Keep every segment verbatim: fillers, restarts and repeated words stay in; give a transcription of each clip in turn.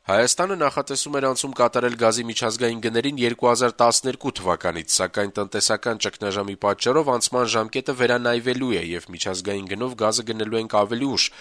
Հայաստանը նախատեսում էր անցում կատարել գազի միջազգային գներին երկու հազար տասներկու թվականից, սակայն տնտեսական ճգնաժամի պատճառով անցման ժամկետը վերանայվելու է եւ միջազգային գնով գազը գնելու ենք ավելի ուշ։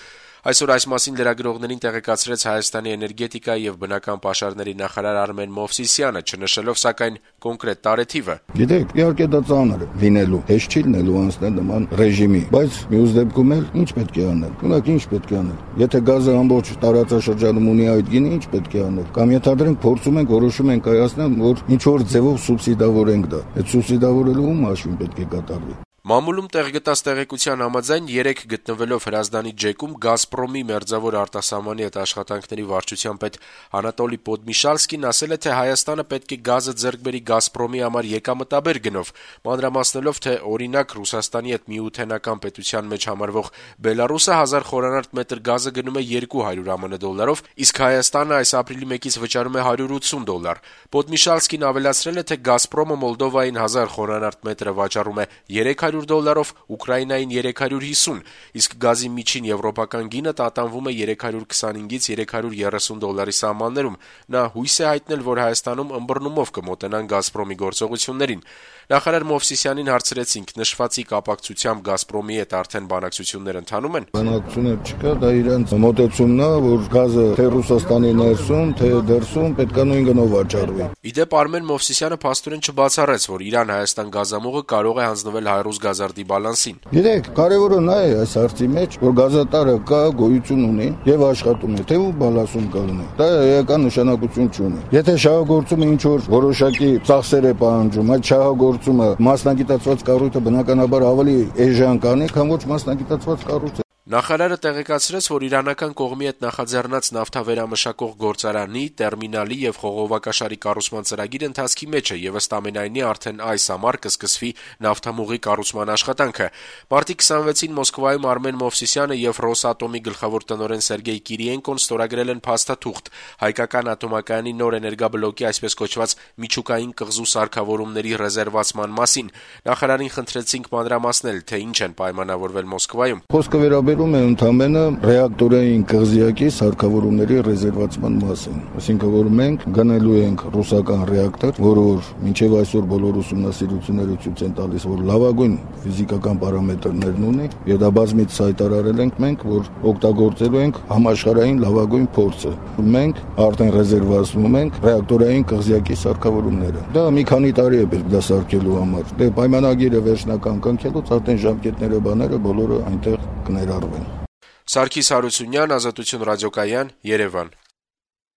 Այսօր այս մասին լրագրողներին տեղեկացրեց Հայաստանի էներգետիկա եւ բնական պաշարների նախարար Արմեն Մովսիսյանը, չնշելով սակայն կոնկրետ տարեթիվը։ Գիտեք, իհարկե դա ծանր է լինելու, հեշտ չի լինելու անցնել նման ռեժիմի, բայց մյուս դեպքում էլ ինչ պետք է անել։ Ունակ ինչ պետք է անել։ Եթե գազը ամբողջ տարածաշրջանում ունի այդ գինը, ինչ պետք է անել։ Կամ ենթադրենք փորձում ենք որոշում ենք կայացնել, որ ինչ որ ձևով սուբսիդավորենք դա։ Այդ սուբսիդավորելու ում հաշվին պետք է կատարվի։ Մամուլում տեղ գտած տեղեկության համաձայն երեկ գտնվելով Հրազդանի ջեկում Գազպրոմի մերձավոր արտասահմանի հետ աշխատանքների վարչության պետ Անատոլի Պոդմիշալսկին ասել է, թե Հայաստանը պետք է գազը ձեռք բերի Գազպրոմի համար եկամտաբեր գնով, մանրամասնելով, թե օրինակ Ռուսաստանի հետ միութենական պետության մեջ համարվող Բելարուսը հազար խորանարդ մետր գազը գնում է երկու հարյուր ԱՄՆ դոլարով, իսկ Հայաստանը այս ապրիլի մեկից վճարում է հարյուր ութսուն դոլար։ Պոդմիշալսկին ավելացրել է, թե Գազպրոմը Մոլդովային հազար խորանարդ մետրը վաճառում է երեք հարյուր դոլարով, Ուկրաինային երեք հարյուր հիսուն, իսկ գազի միջին եվրոպական գինը տատանվում է երեք հարյուր քսանհինգից երեք հարյուր երեսուն դոլարի սահմաններում։ Նա հույս է հայտնել, որ Հայաստանում ըմբռնումով կմոտենան Գազպրոմի գործողություններին։ Նախարար Մովսիսյանին հարցրեցինք, նշվածի կապակցությամբ Գազպրոմի հետ արդեն բանակցություններ ընթանում են։ Բանակցություններ չկա, դա իրենց մոտեցումն է, որ գազը թե Ռուսաստանի ներսում, թե դրսում պետք է նույն գնով վաճառվի։ Իդեպ Արմեն Մովսիսյանը փաստորեն չբացառեց, որ Իրան-Հայաստան գազամուղը կարող է հանձնվել Հայրուզ գազարդի բալանսին։ Գիտեք, կարևորը նա է այս հարցի մեջ, որ գազատարը կա, գոյություն ունի եւ աշխատում է, թե ու բալանսում կլինի։ Դա էական նշանակություն չունի։ Եթե շահագործումը ինչ որ որոշակի ծախսեր է պահանջում, այդ շահագործումը մասնագիտացված կառույցը բնականաբար ավելի էժան կանի, քան ոչ մասնագիտացված կառույցը։ Նախարարը տեղեկացրեց, որ իրանական կողմի հետ նախաձեռնած նավթավերամշակող գործարանի, տերմինալի եւ խողովակաշարի կառուցման ծրագիրը ընթացքի մեջ է եւ ըստ ամենայնի արդեն այս ամառ կսկսվի նավթամուղի կառուցման աշխատանքը։ Մարտի քսանվեցին Մոսկվայում Արմեն Մովսիսյանը եւ Ռոսատոմի գլխավոր տնօրեն Սերգեյ Կիրիենկոն ստորագրել են փաստաթուղթ հայկական ատոմակայանի նոր էներգաբլոկի այսպես կոչված միջուկային կղզու սարքավորումների ռեզերվացման մասին։ Նախարարին խնդրեցինք մանրամասնել, թե ինչ են պայմանավորվել Մոսկվայում։ Խոսքը վերաբերում է ընդամենը ռեակտորային կղզիակի սարքավորումների ռեզերվացման մասին։ Այսինքն, որ մենք գնելու ենք ռուսական ռեակտոր, որը որ մինչև այսօր բոլոր ուսումնասիրությունները ցույց են տալիս, որ լավագույն ֆիզիկական պարամետրներն ունի, եւ դա բազմից հայտարարել ենք մենք, որ օգտագործելու ենք համաշխարհային լավագույն փորձը։ Մենք արդեն ռեզերվացնում ենք ռեակտորային կղզիակի սարքավորումները։ Դա մի քանի տարի է պետք դա սարքելու համար։ Դե պայմանագիրը վերջնական կնքելուց արդեն ժամկետները բաները բոլորը այնտեղ կներառվեն։ Սարգիս Հարությունյան, Ազատություն ռադիոկայան, Երևան։